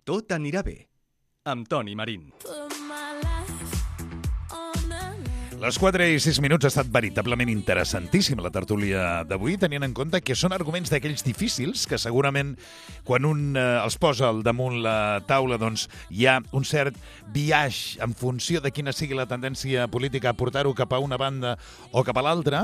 Tot anirà bé, amb Toni Marín. Les 4 i 6 minuts ha estat veritablement interessantíssima la tertúlia d'avui, tenint en compte que són arguments d'aquells difícils que segurament quan un els posa al damunt la taula doncs hi ha un cert biaix en funció de quina sigui la tendència política a portar-ho cap a una banda o cap a l'altra,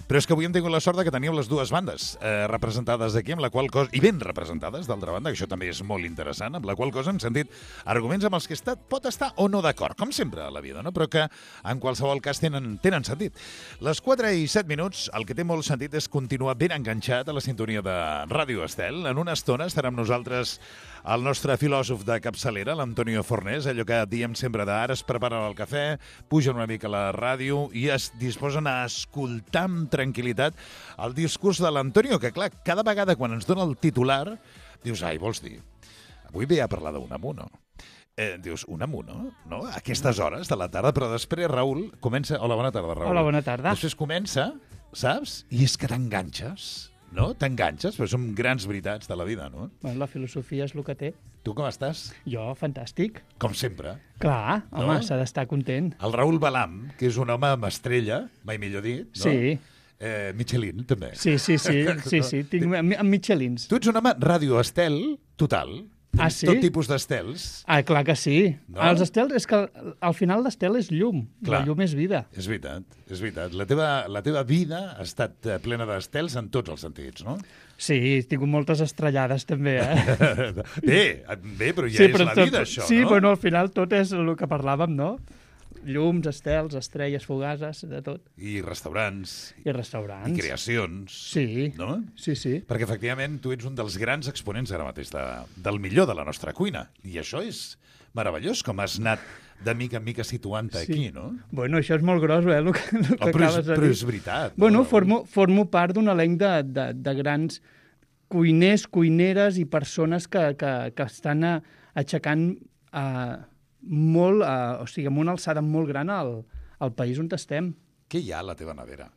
però és que avui hem tingut la sort que teníem les dues bandes representades aquí, amb la qual cosa, i ben representades, d'altra banda, que això també és molt interessant, amb la qual cosa hem sentit arguments amb els que pot estar o no d'acord, com sempre a la vida, no? Però que en qualsevol cas tenen sentit. Les 4 i 7 minuts, el que té molt sentit és continuar ben enganxat a la sintonia de Ràdio Estel. En una estona estarà amb nosaltres el nostre filòsof de capçalera, l'Antonio Fornés, allò que diem sempre d'ara, es preparen el cafè, pugen una mica a la ràdio i es disposen a escoltar amb tranquil·litat el discurs de l'Antonio, que clar, cada vegada quan ens dona el titular, dius, ai, vols dir, avui ve a parlar d'un amuno. Dius, un amuno, no? A aquestes hores de la tarda, però després Raül comença... Hola, bona tarda, Raül. Hola, bona tarda. Després comença, saps? I és que t'enganxes, no? T'enganxes, però són grans veritats de la vida, no? Bueno, la filosofia és el que té. Tu com estàs? Jo, fantàstic. Com sempre. Clar, home, No? s'ha d'estar content. El Raül Balam, que és un home amb estrella, mai millor dit, no? Sí. Michelin, també. Sí, tinc amb Michelins. Tu ets un home Radio Estel total. Ah, sí? Tot tipus d'estels. Ah, clar que sí. No? Els estels, és que al final l'estel és llum. Clar. La llum és vida. És veritat, és veritat. La teva vida ha estat plena d'estels en tots els sentits, no? Sí, he tingut moltes estrellades també, eh? Bé, però ja és la vida, això, sí, no? bueno, al final tot és el que parlàvem, no? Llums, estels, estrelles fugaces, de tot. I restaurants. I restaurants. I creacions. Sí, No? sí. Perquè, efectivament, tu ets un dels grans exponents ara mateix del millor de la nostra cuina. I això és meravellós, com has anat de mica en mica situant-te aquí, no? Bueno, això és molt gros, el que acabes de dir. Però és veritat. Bueno, no? formo part d'un elenc de grans cuiners, cuineres i persones que estan aixecant molt, o sigui, amb una alçada molt gran al país on estem. Què hi ha a la teva nevera?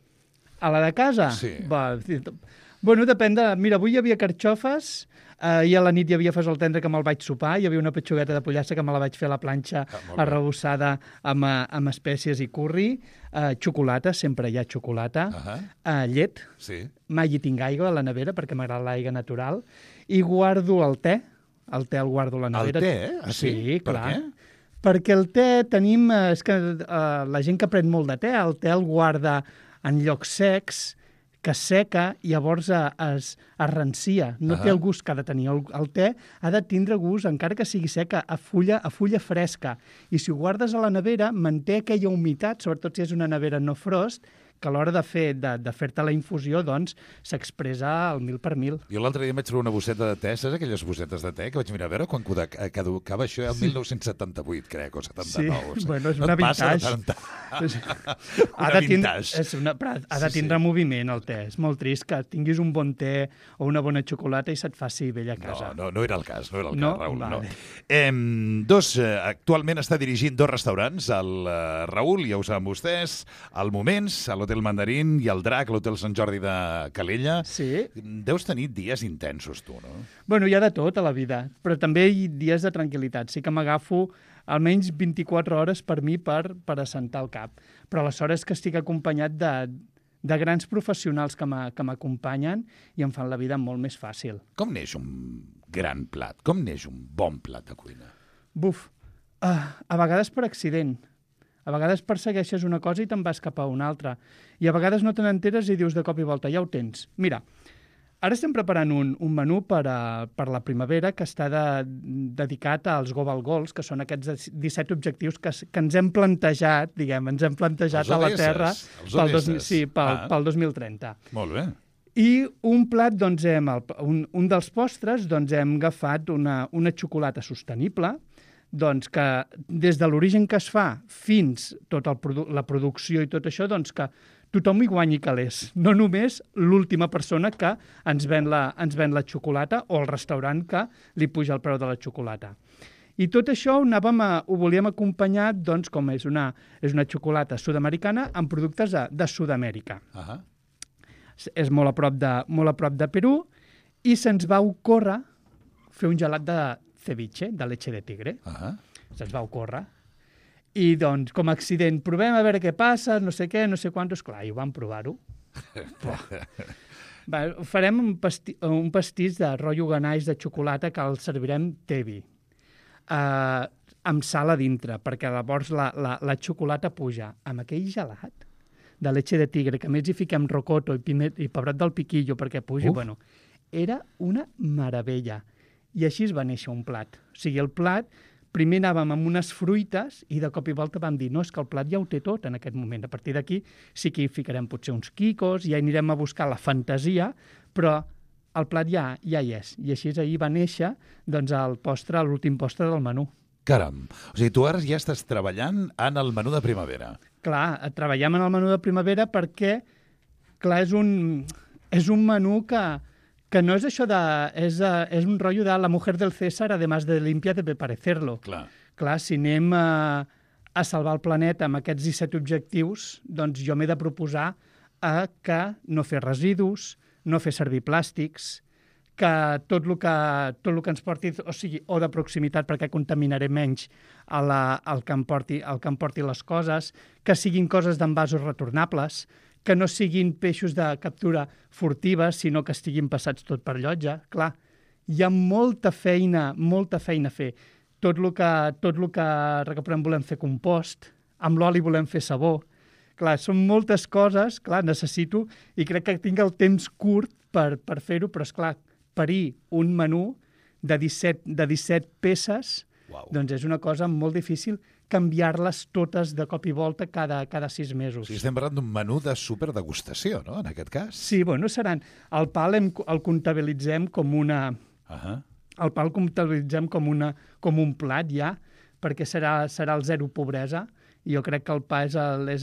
A la de casa? Sí. Bueno, depèn de... Mira, avui hi havia carxofes, i a la nit hi havia fesol tendre que me'l vaig sopar, hi havia una petxugueta de pollastre que me la vaig fer a la planxa arrebossada amb espècies i curri, xocolata, sempre hi ha xocolata, llet, Sí. mai hi tinc aigua a la nevera perquè m'agrada l'aigua natural, i guardo el te el guardo a la nevera. El te? Ah, sí? Per clar. què? Perquè el te tenim... És que la gent que pren molt de te, el te el guarda en llocs secs, que seca i llavors es rancia. No té el gust que ha de tenir. El te ha de tindre gust, encara que sigui seca, a fulla fresca. I si ho guardes a la nevera, manté aquella humitat, sobretot si és una nevera no frost, que a l'hora de fer-te la infusió, doncs, s'expressa al 1000 per 1000. Jo l'altre dia em vaig trobar una bosseta de te, saps aquelles bossetes de te que vaig mirar a veure quan caducava això, el 1978, crec, o 79. Sí, bueno, és una vintage. Una vintage. Però ha de tindre moviment, el te. És molt trist que tinguis un bon te o una bona xocolata i se't faci vell a casa. No era el cas, Raül, Vale. no. Actualment està dirigint 2 restaurants, el Raül, ja ho saben vostès, al Moments, a l'Hotel Mandarín i el Drac, a l'Hotel Sant Jordi de Calella. Sí. Deus tenir dies intensos, tu, no? Bueno, hi ha de tot a la vida, però també hi ha dies de tranquil·litat. Sí que m'agafo almenys 24 hores per mi per assentar el cap. Però aleshores que estic acompanyat de grans professionals que m'acompanyen i em fan la vida molt més fàcil. Com neix un gran plat? Com neix un bon plat de cuina? Buf, a vegades per accident. A vegades persegueixes una cosa i te'n vas cap a una altra. I a vegades no te n'enteres i dius de cop i volta, ja ho tens. Mira, ara estem preparant un menú per la primavera que està dedicat als Global Goals, que són aquests 17 objectius que ens hem plantejat, ens hem plantejat a la Terra pel 2030. Molt bé. I un plat, doncs, un dels postres, doncs, hem agafat una xocolata sostenible, doncs que des de l'origen que es fa fins tota la producció i tot això, doncs que tothom hi guanyi calés. No només l'última persona que ens ven la xocolata o el restaurant que li puja el preu de la xocolata. I tot això ho volíem acompanyar, doncs, com és una xocolata sud-americana amb productes de Sud-amèrica. És molt a prop de Perú i se'ns va ocórrer fer un gelat de ceviche de leche de tigre. Se'ns va ocórrer. I, doncs, com a accident, provem a veure què passa, no sé què, no sé quantos. Clar, i ho vam provar-ho. Farem un pastís de rotllo ganaix de xocolata que el servirem tevi. Amb sal a dintre, perquè llavors la xocolata puja. Amb aquell gelat de leche de tigre, que a més hi fiquem rocoto i pebrot del piquillo perquè pugi, bueno, era una meravella. I així es va néixer un plat. O sigui, el plat, primer anàvem amb unes fruites i de cop i volta vam dir, no, és que el plat ja ho té tot en aquest moment. A partir d'aquí sí que hi ficarem potser uns quicos, ja anirem a buscar la fantasia, però el plat ja hi és. I així ahir va néixer doncs, l'últim postre del menú. Caram, o sigui, tu ara ja estàs treballant en el menú de primavera. Clar, treballem en el menú de primavera perquè, clar, és un menú que no és això de... És un rotllo de la mujer del César, además de limpia, debe parecerlo. Clar, si anem a salvar el planeta amb aquests 17 objectius, doncs jo m'he de proposar que no fer residus, no fer servir plàstics, que tot el que ens porti, o sigui, o de proximitat perquè contaminaré menys el que em porti les coses, que siguin coses d'envasos retornables, que no siguin peixos de captura furtiva, sinó que estiguin passats tot per llotja. Clar, hi ha molta feina a fer. Tot el que recuperem volem fer compost, amb l'oli volem fer sabó. Clar, són moltes coses, clar, necessito, i crec que tinc el temps curt per fer-ho, però esclar, parir un menú de 17 peces, doncs és una cosa molt difícil canviar-les totes de cop i volta cada 6 mesos. Sí, estem parlant d'un menú de superdegustació, no?, en aquest cas. Sí, bueno, seran... El pa el comptabilitzem com una... El pa el comptabilitzem com un plat, ja, perquè serà el zero pobresa, i jo crec que el pa és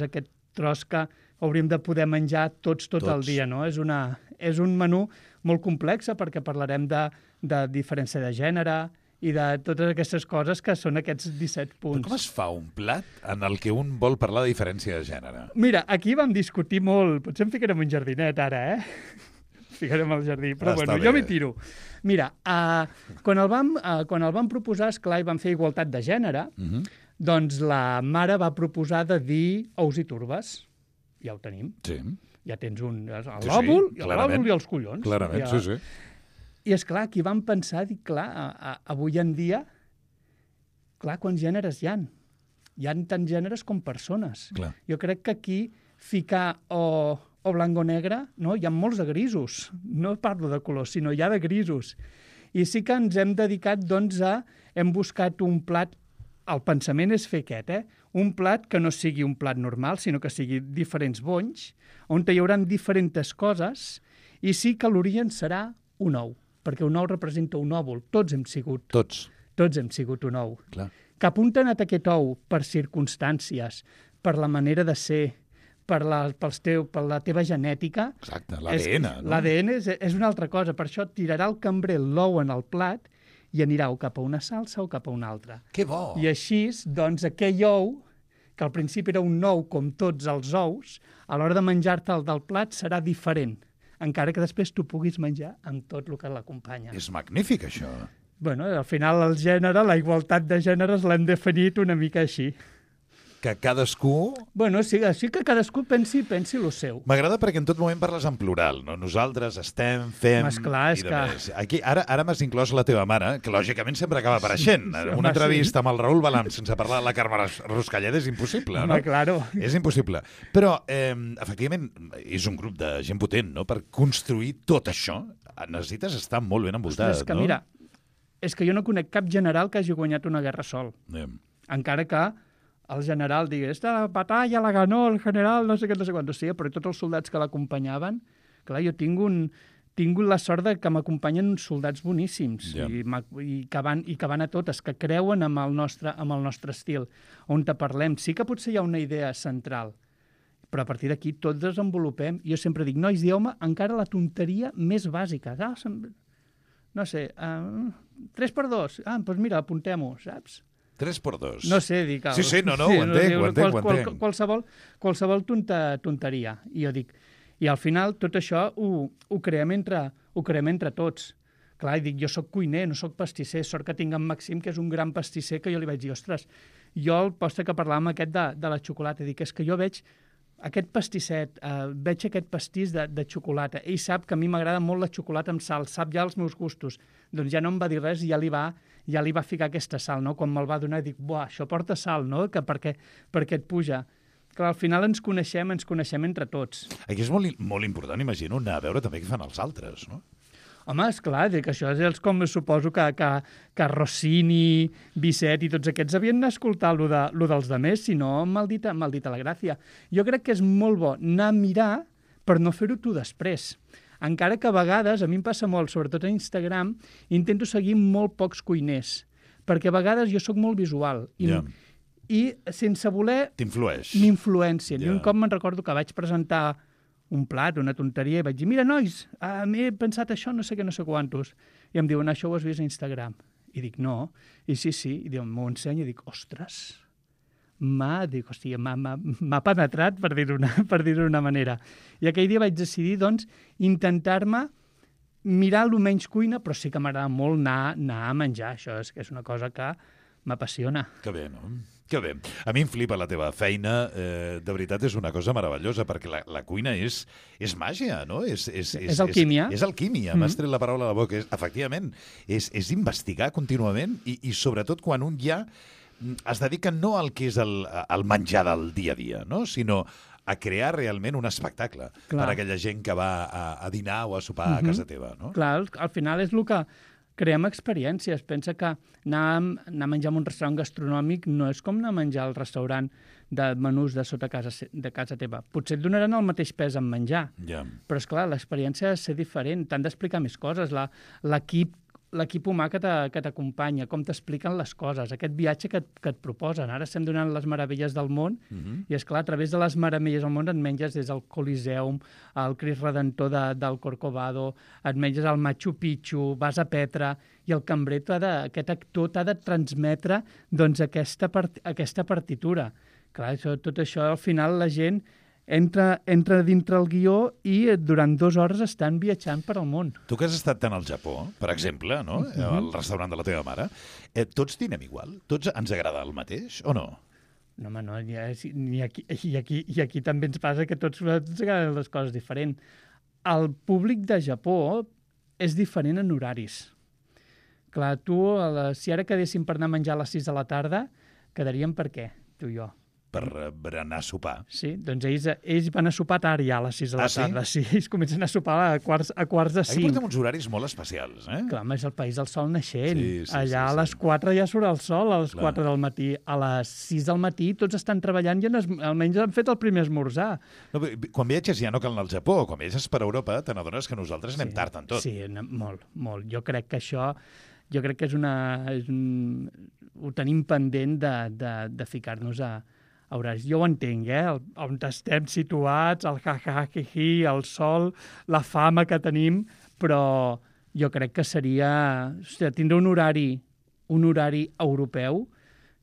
aquest tros que hauríem de poder menjar tots el dia, no? És un menú molt complex perquè parlarem de diferència de gènere i de totes aquestes coses que són aquests 17 punts. Però com es fa un plat en el que un vol parlar de diferència de gènere? Mira, aquí vam discutir molt. Potser em ficarem un jardinet ara, Ficarem al jardí, però bueno, jo m'hi tiro. Mira, quan el vam proposar, esclar, i vam fer igualtat de gènere, doncs la mare va proposar de dir ous i turbes. Ja ho tenim. Sí. Ja tens l'òvul i els collons. Clarament, sí. I esclar, aquí vam pensar, dic, clar, avui en dia, clar, quants gèneres hi ha? Hi ha tants gèneres com persones. Clar. Jo crec que aquí ficar o blanc o negre, no? Hi ha molts de grisos. No parlo de colors, sinó hi ha de grisos. I sí que ens hem dedicat, doncs, hem buscat un plat. El pensament és fer aquest, un plat que no sigui un plat normal, sinó que sigui diferents bonys, on hi haurà diferents coses, i sí que l'origen serà un ou, perquè un ou representa un òvul. Tots hem sigut. Tots hem sigut un ou. Clar. Cap on t'ha anat aquest ou? Per circumstàncies, per la manera de ser, per la teva genètica. Exacte, l'ADN. No? L'ADN és una altra cosa. Per això tirarà el cambrer l'ou en el plat i anirà o cap a una salsa o cap a una altra. Que bo! I així, doncs, aquell ou, que al principi era un ou com tots els ous, a l'hora de menjar-te'l del plat serà diferent, encara que després tu puguis menjar amb tot el que l'acompanya. És magnífic, això. Bueno, al final el gènere, la igualtat de gèneres l'hem definit una mica així. Que cadascú... Bueno, sí que cadascú pensi el seu. M'agrada perquè en tot moment parles en plural, no? Nosaltres estem, fem... Esclar, és que... Aquí, ara m'has inclòs la teva mare, que lògicament sempre acaba apareixent. Una entrevista amb el Raül Balam sense parlar de la Carme Ruscalleda és impossible, no? Claro. És impossible. Però, efectivament, és un grup de gent potent, no? Per construir tot això necessites estar molt ben envoltat, és que, no? Mira, és que jo no conec cap general que hagi guanyat una guerra sol. Encara que el general digui, esta batalla la ganó el general, no sé què, no sé quant. O sigui, però tots els soldats que l'acompanyaven, clar, jo tinc la sort de que m'acompanyen uns soldats boníssims i que van a totes, que creuen amb el nostre estil, on te parlem. Sí que potser hi ha una idea central, però a partir d'aquí tots desenvolupem. Jo sempre dic, nois, dieu-me encara la tonteria més bàsica. No sé, 3x2. Doncs mira, apuntem-ho, saps? 3x2. No sé, dic... Sí, no, ho entenc. Qualsevol tonteria. I jo dic... I al final tot això ho creem entre tots. Clar, i dic, jo sóc cuiner, no sóc pastisser, sort que tinc en Maxim, que és un gran pastisser, que jo li vaig dir, ostres, jo el postre que parlàvem aquest de la xocolata, dic, és que jo veig aquest pastisset, veig aquest pastís de xocolata. Ell sap que a mi m'agrada molt la xocolata amb sal, sap ja els meus gustos. Doncs ja no em va dir res i ja li va ficar aquesta sal, no? Quan me'l va donar, dic, buah, això porta sal, no? Perquè et puja. Clar, al final ens coneixem entre tots. Aquí és molt important, imagino, anar a veure també què fan els altres, no? Home, esclar, que això és com suposo que Rossini, Bizet i tots aquests havien d'escoltar lo dels demés, si no, maldita la gràcia. Jo crec que és molt bo anar a mirar per no fer-ho tu després. Encara que a vegades, a mi em passa molt, sobretot a Instagram, intento seguir molt pocs cuiners, perquè a vegades jo sóc molt visual i sense voler m'influencien. I un cop me'n recordo que vaig presentar un plat, una tonteria, i vaig dir, mira, nois, m'he pensat això, no sé què, no sé quantos. I em diuen, això ho has vist a Instagram? I dic, no. I sí, i diuen, m'ho ensenya, i dic, ostres, m'ha penetrat, per dir-ho d'una manera. I aquell dia vaig decidir, doncs, intentar-me mirar el menys cuina, però sí que m'agrada molt anar a menjar. Això és una cosa que m'apassiona. Que bé, no? Que bé. A mi em flipa la teva feina. De veritat, és una cosa meravellosa, perquè la cuina és màgia, no? És alquímia. És alquímia. M'has tret la paraula a la boca. Efectivament, és investigar contínuament i sobretot quan un ja es dedica no al que és el menjar del dia a dia, no? Sinó a crear realment un espectacle per a aquella gent que va a dinar o a sopar a casa teva, no? Clar, al final és el que creem experiències. Pensa que anar a menjar en un restaurant gastronòmic no és com anar a menjar al restaurant de menús de sota de casa teva. Potser et donaran el mateix pes en menjar, però, esclar, l'experiència ha de ser diferent. T'han d'explicar més coses. L'equip humà que t'acompanya, com t'expliquen les coses, aquest viatge que et proposen. Ara estem donant les meravelles del món i, esclar, a través de les meravelles del món et menges des del Coliseum, al Crist Redentor del Corcovado, et menges al Machu Picchu, vas a Petra, i el cambrer, aquest actor, t'ha de transmetre doncs, aquesta partitura. Clar, tot això, al final, la gent entra dintre el guió i durant 2 hores estan viatjant per al món. Tu que has estat tant al Japó, per exemple, no? Al restaurant de la teva mare, tots dinem igual? Tots ens agrada el mateix o no? No, home, no. I aquí també ens passa que tots ens agraden les coses diferents. El públic de Japó és diferent en horaris. Clar, si ara quedéssim per anar a menjar a les 6 de la tarda, quedaríem per què, tu i jo? Per anar a sopar. Sí, doncs ells van a sopar tard ja a les 6 de la tarda. Sí, ells comencen a sopar a quarts de 5. Aquí portem uns horaris molt especials, eh? Clar, és el país del sol naixent. Allà a les 4 ja surt el sol, a les 4 del matí. A les 6 del matí tots estan treballant i almenys han fet el primer esmorzar. No, quan viatges ja no cal anar al Japó. Quan viatges per Europa te n'adones que nosaltres anem tard en tot. Sí, molt, molt. Jo crec que això... Jo crec que ho tenim pendent de ficar-nos a horaris. Jo ho entenc, on estem situats, el ha-ha-hi-hi, el sol, la fama que tenim, però jo crec que seria... Hòstia, tindre un horari europeu...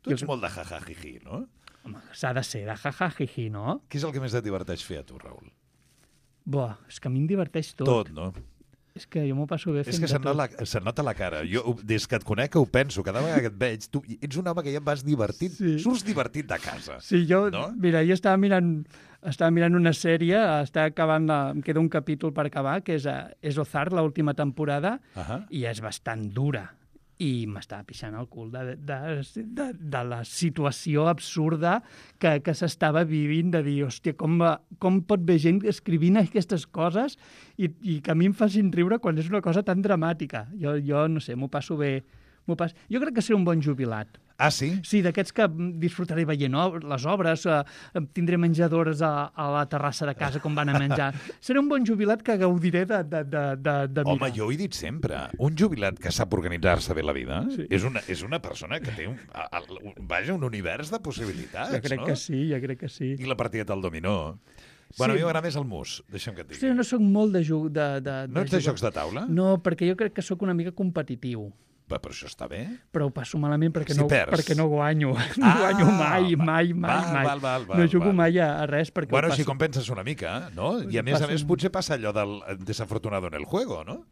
Tu ets molt de ha-ha-hi-hi, no? Home, s'ha de ser de ha-ha-hi-hi, no? Què és el que més et diverteix fer a tu, Raül? Buah, és que a mi em diverteix tot. Tot, no? És que jo m'ho passo bé fent de tot. Se't nota la cara. Jo, des que et conec, ho penso. Cada vegada que et veig, tu ets un home que ja vas divertit. Sí. Surts divertit de casa. Sí, mira, jo estava mirant una sèrie, em queda un capítol per acabar, que és Ozark, l'última temporada, i és bastant dura. I m'estava pixant el cul de la situació absurda que s'estava vivint, de dir, hòstia, com pot haver gent escrivint aquestes coses i que a mi em facin riure quan és una cosa tan dramàtica. Jo no sé, m'ho passo bé. Jo crec que seré un bon jubilat. Ah, sí? Sí, d'aquests que disfrutaré veient les obres, tindré menjadores a la terrassa de casa com van a menjar. Seré un bon jubilat que gaudiré de mirar. Home, jo ho he dit sempre. Un jubilat que sap organitzar-se bé la vida és una persona que té un univers de possibilitats, jo crec que sí. I la partida del dominó. Bueno, a mi m'agrada més el mus, deixa'm que et digui. Sí, no soc molt de No ets de jocs de taula? No, perquè jo crec que sóc una mica competitiu. Però això està bé. Però ho passo malament perquè, Si perds. perquè no guanyo. No guanyo mai. No jugo mai a res perquè Bueno, ho passo. si compenses una mica, no? I a més potser passa allò del desafortunado en el juego, no?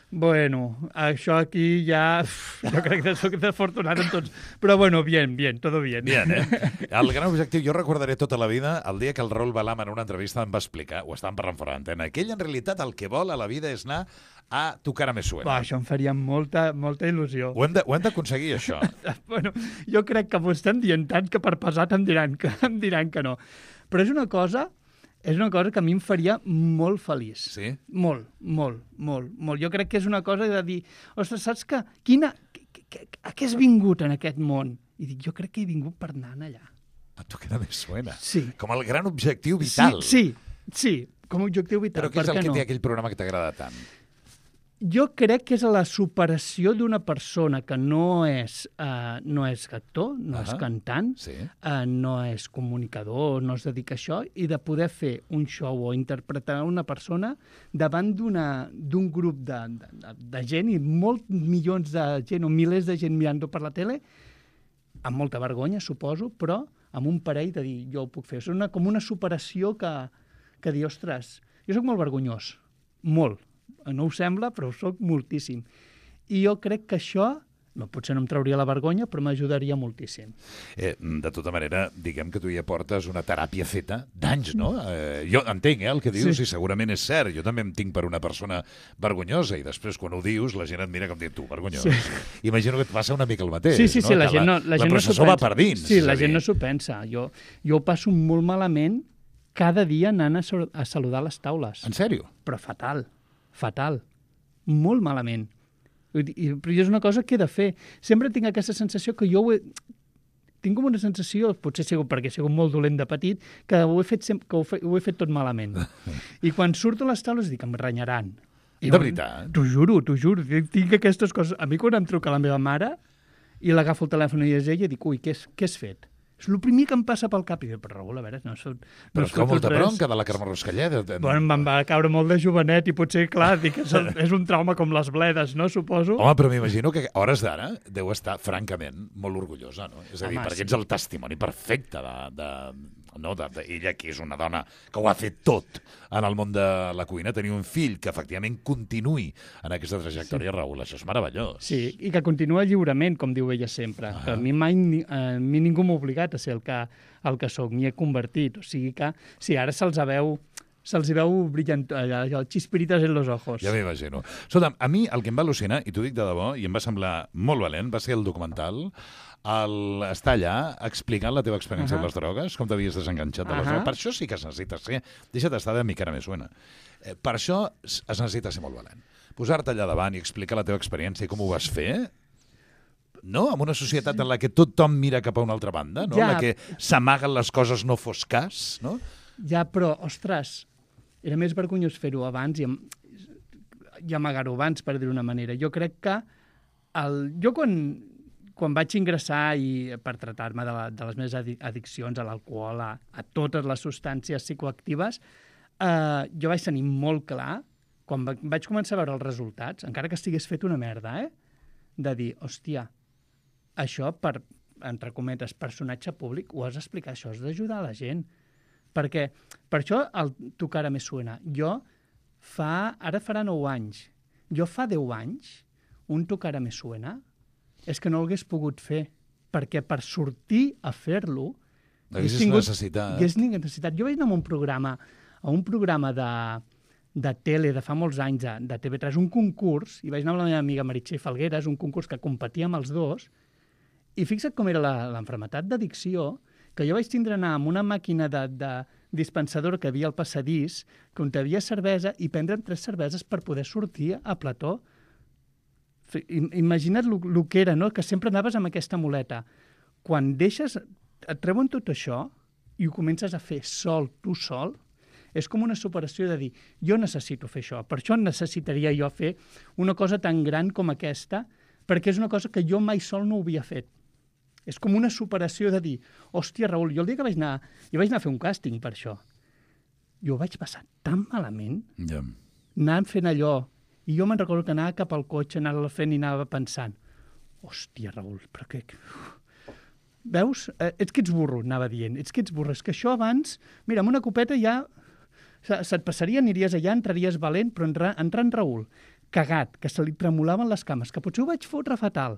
Bueno, això aquí ja... Jo crec que soc desafortunat en tots. Però bueno, bien, todo bien. Bien, El gran objectiu, jo recordaré tota la vida el dia que el Raül Balam en una entrevista em va explicar, ho estàvem parlant fora d'antena, que ell en realitat el que vol a la vida és anar a Tu cara me suena. Va, això em faria molta il·lusió. Ho hem d'aconseguir, això. Bueno, jo crec que m'ho estem dient tant que per pesat em diran que no. Però és una cosa que a mi em faria molt feliç. Sí? Molt. Jo crec que és una cosa de dir, ostres, saps que a què has vingut en aquest món? I dic, jo crec que he vingut per anar allà. A Tu cara me suena. Sí. Com el gran objectiu vital. Sí, com a objectiu vital. Però què és el que té aquell programa que t'agrada tant? Jo crec que és la superació d'una persona que no és actor, no és cantant, no és comunicador, no es dedica a això, i de poder fer un show o interpretar una persona davant d'un grup de gent, i molts milions de gent o milers de gent mirant-ho per la tele, amb molta vergonya, suposo, però amb un parell de dir, jo ho puc fer. És com una superació que dir, ostres, jo sóc molt vergonyós, molt. No ho sembla, però ho soc moltíssim. I jo crec que això, potser no em trauria la vergonya, però m'ajudaria moltíssim. De tota manera, diguem que tu ja portes una teràpia feta d'anys, no? Jo entenc el que dius, i segurament és cert. Jo també em tinc per una persona vergonyosa, i després, quan ho dius, la gent et mira com dient, tu, vergonyós. Sí. Imagino que et passa una mica el mateix. Sí, la gent no s'ho pensa. La processó va per dins. Sí, la gent no s'ho pensa. Jo ho passo molt malament cada dia anant a saludar les taules. En sèrio? Però fatal. Molt malament. Però és una cosa que he de fer. Sempre tinc aquesta sensació que tinc com una sensació, potser perquè he sigut molt dolent de petit, que ho he fet tot malament. I quan surto a les taules dic, em renyaran. De veritat? T'ho juro. Tinc aquestes coses. A mi quan em truca la meva mare i l'agafo el telèfon i és ella, dic, ui, què has fet? És el primer que em passa pel cap. I dic, però Raül, a veure, no però com molta bronca de la Carme Ruscalleda. Bueno, em va caure molt de jovenet i potser, clar, dic, és un trauma com les bledes, no, suposo? Home, però m'imagino que a hores d'ara deu estar, francament, molt orgullosa, no? És a dir, perquè ets el testimoni perfecte d'ella, que és una dona que ho ha fet tot en el món de la cuina, tenir un fill que efectivament continuï en aquesta trajectòria, Raül, això és meravellós. Sí, i que continua lliurement, com diu ella sempre. Que a mi mai ningú m'ha obligat a ser el que sóc, m'hi he convertit. O sigui que, sí, ara se'ls veu brillant, el chispiritas en los ojos. Ja m'imagino. Escolta'm, a mi el que em va al·lucinar, i t'ho dic de debò, i em va semblar molt valent, va ser el documental, estar allà explicant la teva experiència amb les drogues, com t'havies desenganxat de les drogues. Per això sí que es necessita ser, deixa't estar de mi cara me suena. Per això es necessita ser molt valent. Posar-te allà davant i explicar la teva experiència i com ho vas fer, no? En una societat en la que tothom mira cap a una altra banda, no? En la que s'amaguen les coses no fos cas, no? Ja, però, ostres, era més vergonyós fer-ho abans i amagar-ho abans, per dir-ho d'una manera. Jo crec que jo quan vaig ingressar per tractar-me de les meves addiccions a l'alcohol, a totes les substàncies psicoactives, jo vaig tenir molt clar, quan vaig començar a veure els resultats, encara que estigués fet una merda, de dir, hòstia, això entre cometes, personatge públic, ho has d'explicar, això has d'ajudar a la gent. Perquè, per això el Tu cara me suena. Ara farà 9 anys. Jo fa 10 anys, un Tu cara me suena, és que no l'hagués pogut fer, perquè per sortir a fer-lo... Haguessis necessitat. Jo vaig anar a un programa de tele de fa molts anys, de TV3, un concurs, i vaig anar amb la meva amiga Meritxell Falgueres, un concurs que competíem els dos, i fixa't com era l'enfermetat d'addicció, que jo vaig tindre anar amb una màquina de dispensadora que havia al passadís, que on hi havia cervesa, i prendre'm 3 cerveses per poder sortir a plató. Imagina't el que era, no? Que sempre anaves amb aquesta muleta. Quan et treuen tot això i ho comences a fer tu sol, és com una superació de dir, jo necessito fer això, per això necessitaria jo fer una cosa tan gran com aquesta, perquè és una cosa que jo mai sol no havia fet. És com una superació de dir, hòstia, Raül, jo el dia que vaig anar a fer un càsting per això, jo ho vaig passar tan malament, anant fent allò, i jo me'n recordo que anava cap al cotxe, anava fent i anava pensant, hòstia, Raül, però què... Veus? Ets que ets burro, anava dient. Ets que ets burro. És que això abans... Mira, amb una copeta ja... Se't passaria, aniries allà, entraries valent, però entrant Raül, cagat, que se li tremolaven les cames, que potser ho vaig fotre fatal,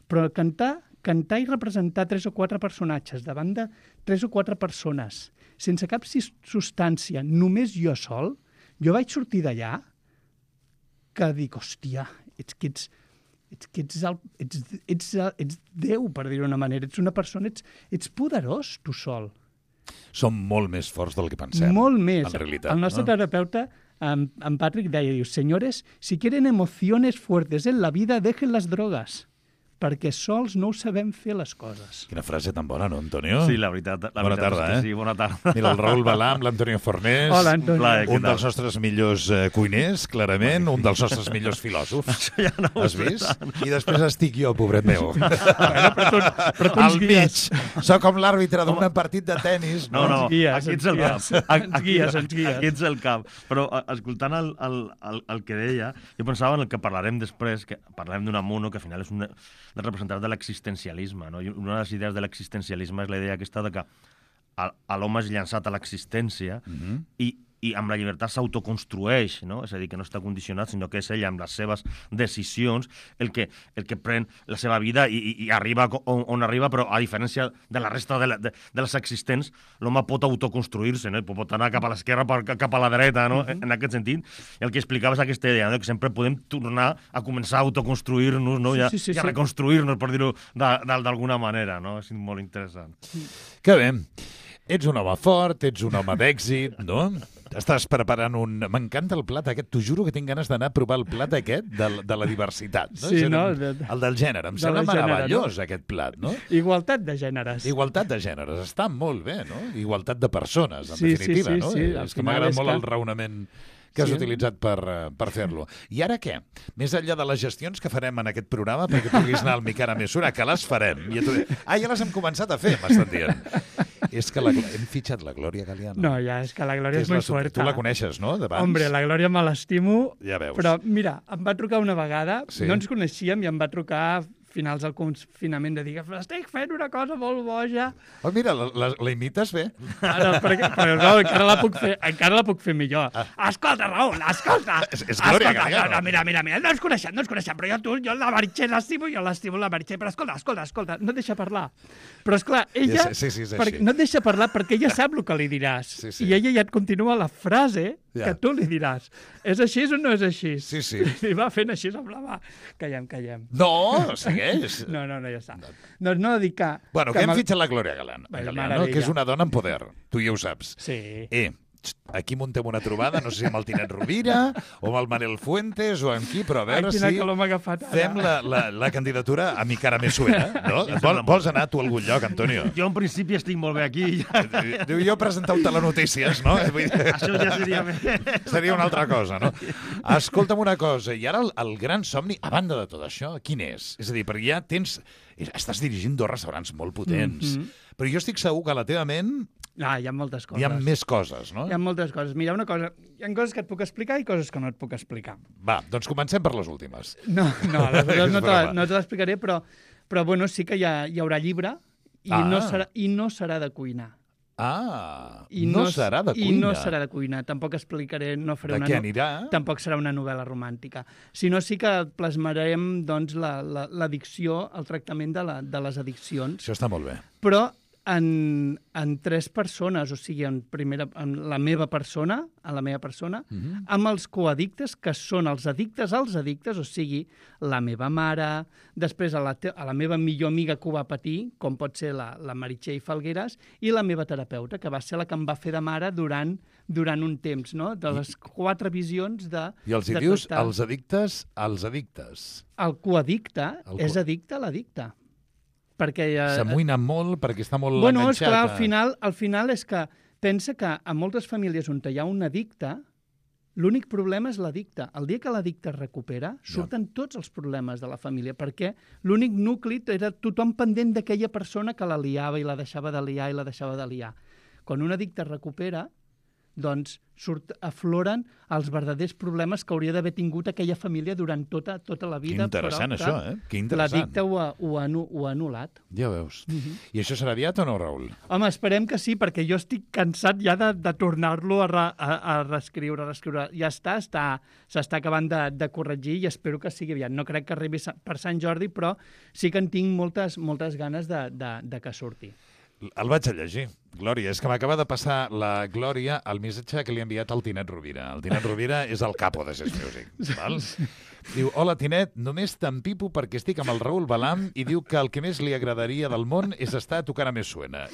però cantar i representar 3 o 4 personatges davant de 3 o 4 persones, sense cap substància, només jo sol, jo vaig sortir d'allà que dic, hòstia, ets Déu, per dir-ho d'una manera. Ets una persona, ets poderós, tu sol. Som molt més forts del que pensem. Molt més. En realitat. El nostre terapeuta, en Patrick, deia, diu, señores, si quieren emociones fuertes en la vida, dejen las drogas, perquè sols no ho sabem fer les coses. Quina frase tan bona, no, Antonio? Sí, la veritat bona tarda, és que sí, bona tarda. Mira, el Raül Balà amb l'Antonio Fornés. Hola, Antonio. Un dels nostres millors cuiners, clarament, un dels nostres millors filòsofs. Això ja no ho Has vist? I després estic jo, pobret meu. Però tu Al mig. Soc com l'àrbitre d'un partit de tennis. No, Ens aquí ets el cap. Ens guies. Aquí ets el cap. Però escoltant el que deia, jo pensava en el que parlarem després, que parlarem d'un Amuno, que al final és un dels representants de l'existencialisme, no? I una de les idees de l'existencialisme és la idea aquesta de que l'home és llançat a l'existència i amb la llibertat s'autoconstrueix, no? És a dir, que no està condicionat, sinó que és ell amb les seves decisions el que pren la seva vida i arriba on arriba, però a diferència de la resta de les existents, l'home pot autoconstruir-se, no? Pot anar cap a l'esquerra, cap a la dreta, no? En aquest sentit. I el que explicava és aquesta idea, no? Que sempre podem tornar a començar a autoconstruir-nos, no? I a reconstruir-nos, per dir-ho d'alguna manera, no? És molt interessant. Que bé. Ets un home fort, ets un home d'èxit, no? Estàs preparant un... M'encanta el plat aquest. T'ho juro que tinc ganes d'anar a provar el plat aquest de la diversitat. No? Sí, no? El del gènere. Em sembla meravellós, aquest plat, no? Igualtat de gèneres. Igualtat de gèneres. Està molt bé, no? Igualtat de persones, en definitiva, no? Sí. És que m'agrada molt el raonament que has utilitzat per fer-lo. I ara què? Més enllà de les gestions que farem en aquest programa perquè puguis anar al Mi Cara Mesura, que les farem. Ja les hem començat a fer, m'estan dient. És que hem fitxat la Glòria Galiano. No, ja, és que la Glòria és molt fuerta. Tu la coneixes, no, d'abans? Hombre, la Glòria me l'estimo. Ja veus. Però, mira, em va trucar una vegada, no ens coneixíem, i em va trucar finals del confinament de dir que estic fent una cosa molt boja. Oh, mira, la imites bé. Però no, encara la puc fer millor. Escolta, Raül, escolta! És Glòria Galiano. Mira, no ens coneixem, però jo la Meritxell l'estimo la Meritxell, però escolta, no et deixa parlar. Però, esclar, ella no et deixa parlar perquè ella sap el que li diràs. I ella ja et continua la frase que tu li diràs. És així o no és així? Sí. I va fent així amb la mà. Callem. No, segueix. No, ja està. No dic que... Bueno, que hem fitxat la Glòria Galiano, que és una dona amb poder. Tu ja ho saps. Sí. Aquí muntem una trobada, no sé si amb el Tinet Rovira o amb el Manel Fuentes o amb qui, però a veure si fem la candidatura a Mi Cara Mesura, no? Vols anar tu a algun lloc, Antonio? Jo en principi estic molt bé aquí. Diu, jo presentar un telenotícies, no? Això ja seria bé. Seria una altra cosa, no? Escolta'm una cosa, i ara el gran somni, a banda de tot això, quin és? És a dir, perquè ja estàs dirigint 2 restaurants molt potents, però jo estic segur que a la teva ment hi ha moltes coses. Hi ha més coses, no? Hi ha moltes coses. Mira, una cosa, hi ha coses que et puc explicar i coses que no et puc explicar. Va, doncs comencem per les últimes. No te l'explicaré, però bueno, sí que hi haurà llibre i no serà de cuinar. No serà de cuina. I no serà de cuina. Tampoc explicaré... De què anirà? Tampoc serà una novel·la romàntica. Sinó sí que plasmarem doncs, l'addicció, el tractament de les addiccions. Això està molt bé. Però en 3 persones, o sigui, en la meva persona, amb els coaddictes, que són els addictes als addictes, o sigui, la meva mare, després a la meva millor amiga que ho va patir, com pot ser la Meritxell Falgueras, i la meva terapeuta, que va ser la que em va fer de mare durant un temps, no? De les 4 visions de... I els dius els addictes als addictes. El coaddicte és addicte a l'addicte. S'amoïna molt perquè està molt enganxat. Bueno, esclar, al final és que pensa que en moltes famílies on hi ha un addicte, l'únic problema és l'addicte. El dia que l'addicte es recupera, surten tots els problemes de la família, perquè l'únic nucli era tothom pendent d'aquella persona que la liava i la deixava de liar i la deixava de liar. Quan un addicte es recupera, doncs afloren els verdaders problemes que hauria d'haver tingut aquella família durant tota la vida. Que interessant, però, això, Que interessant. La dicta ho ha anul·lat. Ja veus. I això serà aviat o no, Raül? Home, esperem que sí, perquè jo estic cansat ja de tornar-lo a reescriure. Ja s'està acabant de corregir i espero que sigui aviat. No crec que arribi per Sant Jordi, però sí que en tinc moltes ganes de que surti. El vaig a llegir. Glòria, és que m'acaba de passar la Glòria el missatge que li ha enviat al Tinet Rovira. El Tinet Rovira és el capo de Ses Music. Val? Diu, hola Tinet, només t'empipo perquè estic amb el Raül Balam i diu que el que més li agradaria del món és estar tocant a Més Suena.